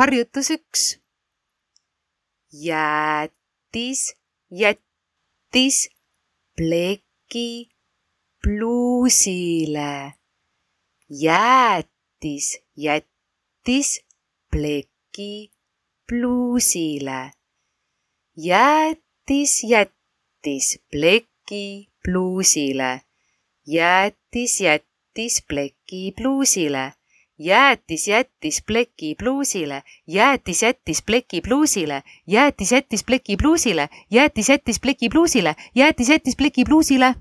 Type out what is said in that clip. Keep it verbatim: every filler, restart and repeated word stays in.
harjutus üks. Jäätis, jättis pleki pluusile. Jäätis, jättis pleki pluusile. Jäätis, jättis pleki pluusile. Jäätis, jättis pleki pluusile. Jäätis, jättis pleki pluusile. Jäätis, jättis pleki pluusile. Jäätis, jättis pleki pluusile. Jäätis, jättis pleki pluusile. Jäätis, jättis pleki pluusile.